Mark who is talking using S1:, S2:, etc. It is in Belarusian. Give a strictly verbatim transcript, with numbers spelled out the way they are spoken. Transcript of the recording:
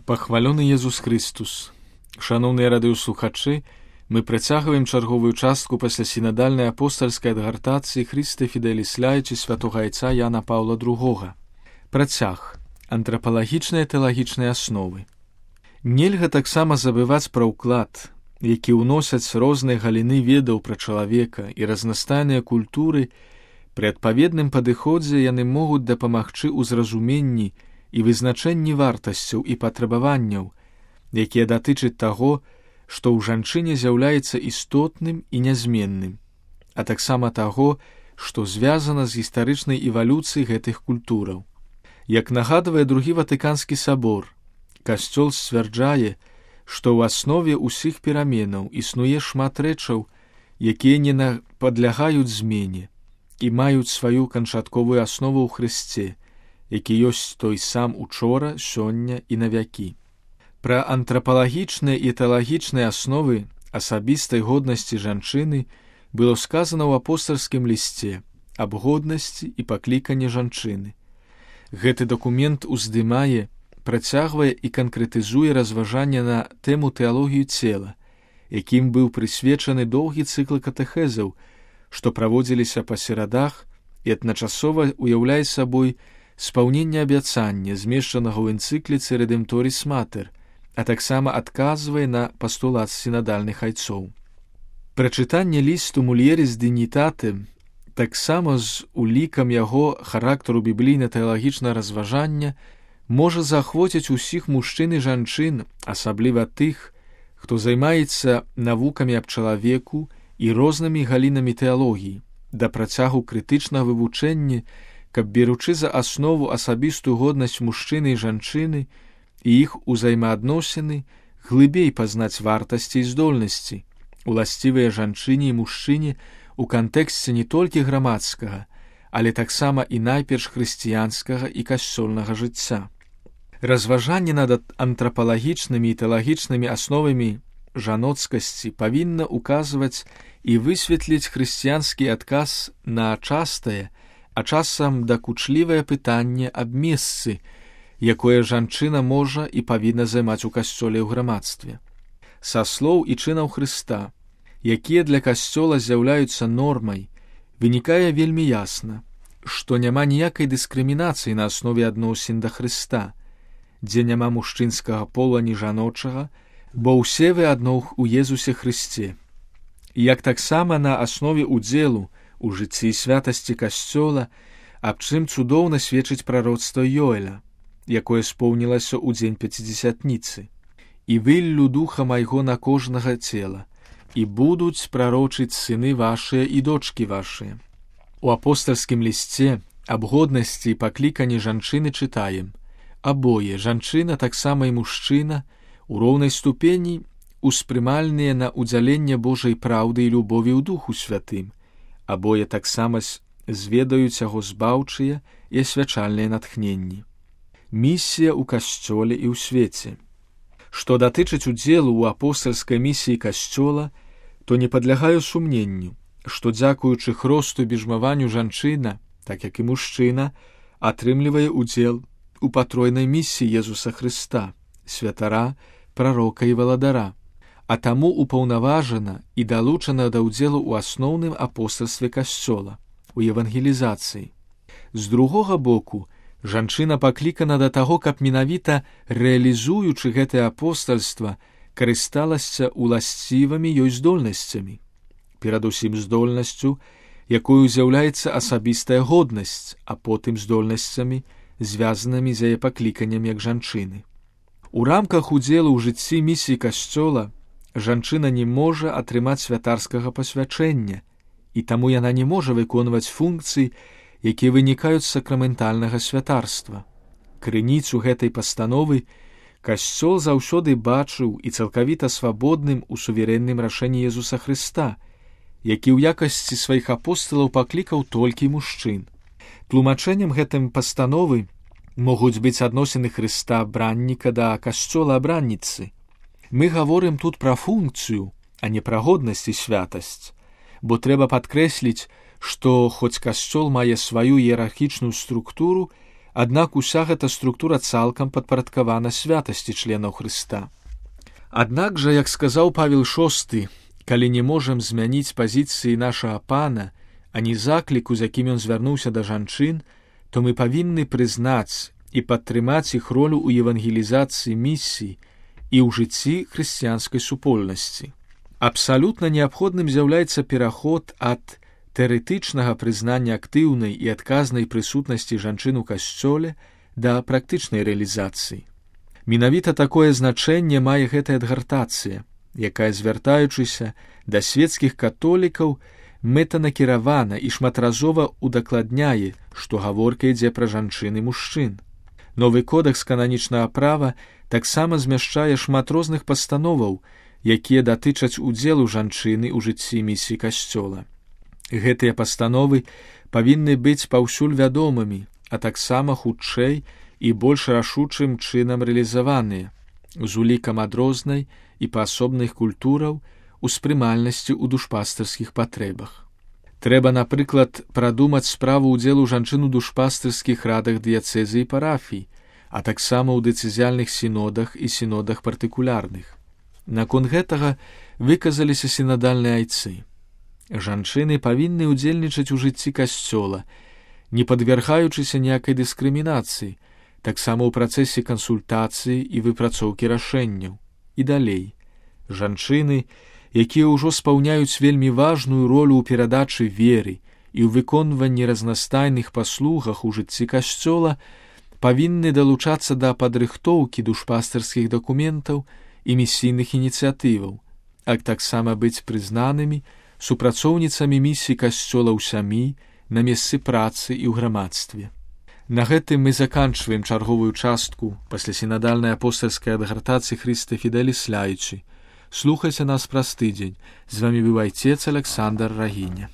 S1: Пахвалёны Езус Христус. Шаноўныя радыёслухачы, мы працягваем чарговую частку пасля сінадальнай апостальскай адгартацыі Христе Фіделіс Лаічы святога айца Яна Паўла другога. Працяг. Антрапалагічныя тэалагічныя асновы. Нельга таксама забываць пра ўклад, які ўносяць розныя галіны ведаў пра чалавека і разнастайныя культуры. Пры адпаведным падыходзе яны могуць дапамагчы ў зразуменні і вызначэнні вартасцяў і патрабаванняў, якія датычаць таго, што ў жанчыне з'яўляецца істотным і нязменным, а таксама таго, што звязана з гістарычнай эвалюцыяй гэтых культураў. Як нагадвае другі Ватыканскі сабор, Касцёл сцвярджае, што ў аснове ўсіх пераменаў існуе шмат рэчаў, якія не падлягаюць змене і маюць сваю канчатковую аснову ў Хрысце, які ёсць той сам учора, сёння і навякі. Пра антрапалагічныя і тэалагічныя асновы асабістай годнасці жанчыны было сказана ў апостальскім лісце аб годнасці і пакліканні жанчыны. Гэты дакумент уздымае, працягвае і канкрэтызуе разважанне на тэму тэалогію цела, якім быў прысвечаны доўгі цыкл катэхезаў, што праводзіліся па серадах і адначасова уяўляе сабой спаўненне абяцання, змешчанага ў энцыкліцы Редемторіс Матер, а таксама адказвае на пастулат сінадальных айцоў. Прачытанне лісту Мульеріс Дігнітате таксама з улікам яго характару біблійна-тэалагічнага разважання можа заахвоціць усіх мужчын і жанчын, асабліва тых, хто займаецца навукамі аб чалавеку і рознымі галінамі тэалогіі, да працягу крытычнага вывучэння, каб, беручы за аснову асабістую годнасць мужчыны і жанчыны і іх узаемаадносіны, глыбей пазнаць вартасці і здольнасці, уласцівыя жанчыне і мужчыне ў кантэксце не толькі грамадскага, але таксама і найперш хрысціянскага і касцёльнага жыцця. Разважанне над антрапалагічнымі і тэалагічнымі асновамі жаноцкасці павінна ўказваць і высветліць хрысціянскі адказ на частае, а часам дакучлівае пытанне аб месцы, якое жанчына можа і павінна займаць у касцёле ў грамадстве. Са слоў і чынаў Хрыста, якія для касцёла з'яўляюцца нормай, вынікае вельмі ясна, што няма ніякай дыскрымінацыі на аснове адносін да Хрыста, дзе няма мужчынскага пола ні жаночага, бо ўсе вы адно ў Езусе Хрысце. Як таксама на аснове удзелу у жыцці і святасці касцёла, аб чым цудоўна сведчыць прароцтва Йоэля, якое споўнілася ў дзень пяцідзесятніцы. «І выллю духа майго на кожнага цела, і будуць прарочыць сыны вашыя і дочкі вашыя». У апостальскім лісце аб годнасці і пакліканні жанчыны чытаем: «Абое, жанчына, таксама і мужчына, у роўнай ступені успрымальныя на ўдзяленне Божай праўды і любові ў Духу Святым, абое таксама зведаюць яго збаўчыя і асвячальныя натхненні». Місія ў касцёле і ў свеце. Што датычыць удзелу ў апостальскай місіі касцёла, то не падлягаю сумненню, што дзякуючы хросту і біжмаванню жанчына, так як і мужчына, атрымлівае удзел у патройнай місіі Езуса Хрыста, святара, прарока і валадара, а таму упаўнаважана і далучана да ўдзелу ў асноўным апостальстве касцёла, у евангелізацыі. З другога боку, жанчына паклікана да таго, каб менавіта рэалізуючы гэтае апостальства, карысталася уласцівымі ёй здольнасцямі, перадусім здольнасцю, якою з'яўляецца асабістая годнасць, а потым здольнасцямі, звязанымі з яе пакліканнем як жанчыны. У рамках удзелу ў жыцці місіі касцёла жанчына не можа атрымаць святарскага пасвячэння, і таму яна не можа выконваць функцый, якія вынікаюць з сакраментальнага святарства. Крыніцу гэтай пастановы касцёл заўсёды бачыў і цалкавіта свабодным у суверэнным рашэнні Езуса Хрыста, які ў якасці сваіх апосталаў паклікаў толькі мужчын. Тлумачэннем гэтым пастановы могуць быць адносіны Хрыста абранніка да касцёла абранніцы. Мы гаворым тут пра функцыю, а не пра годнасць і святасць, бо трэба падкрэсліць, што хоць касцёл мае сваю іерархічную структуру, аднак уся гэта структура цалкам падпарадкавана святасці членаў Хрыста. Аднак жа, як сказаў Павел шосты, калі не можам змяніць пазіцыі нашага Пана, а не закліку, з якім ён звярнуўся да жанчын, то мы павінны прызнаць і падтрымаць іх ролю ў евангелізацыі місіі і ў жыцці хрысціянскай супольнасці. Абсалютна неабходным з'яўляецца пераход ад тэарэтычнага прызнання актыўнай і адказнай прысутнасці жанчын у касцёле да практычнай рэалізацыі. Менавіта такое значэнне мае гэтая адгартацыя, якая, звяртаючыся да свецкіх католікаў, мэтанакіравана і шматразова удакладняе, што гаворка ідзе пра жанчын і мужчын. Новы кодэкс кананічнага права таксама змяшчае шмат розных пастановаў, якія датычаць удзелу жанчыны ў жыцці місіі касцёла. Гэтыя пастановы павінны быць паўсюль вядомымі, а таксама хутчэй і больш рашучым чынам рэалізаваныя, з улікам адрознай і паасобных культураў успрымальнасці ў душпастырскіх патрэбах. Трэба, напрыклад, прадумаць справу ўдзелу жанчын у душпастырскіх радах дыяцэзы і парафій, а таксама ў дэцызіяльных сінодах і сінодах партыкулярных. Наконт гэтага выказаліся сінадальныя айцы. Жанчыны павінны ўдзельнічаць у жыцці касцёла, не падвяргаючыся ніякай дыскрымінацыі, таксама ў працэсе кансультацыі і выпрацоўкі рашэнняў. І далей. Жанчыны, якія ўжо спаўняюць вельмі важную ролю ў перадачы веры і ў выконванні разнастайных паслугах у жыцці касцёла, павінны далучацца да падрыхтоўкі душпастырскіх дакументаў і місійных ініцыятываў, а таксама быць прызнанымі супрацоўніцамі місіі касцёла ў сям'і, на месцы працы і ў грамадстве. На гэтым мы заканчваем чарговую частку пасля сінадальнай апостальскай адгартацыі Хрысте Фідэліс Ляйчы. Слухайце нас праз тыдзень. З вамі быў айцец Аляксандр Рагіня.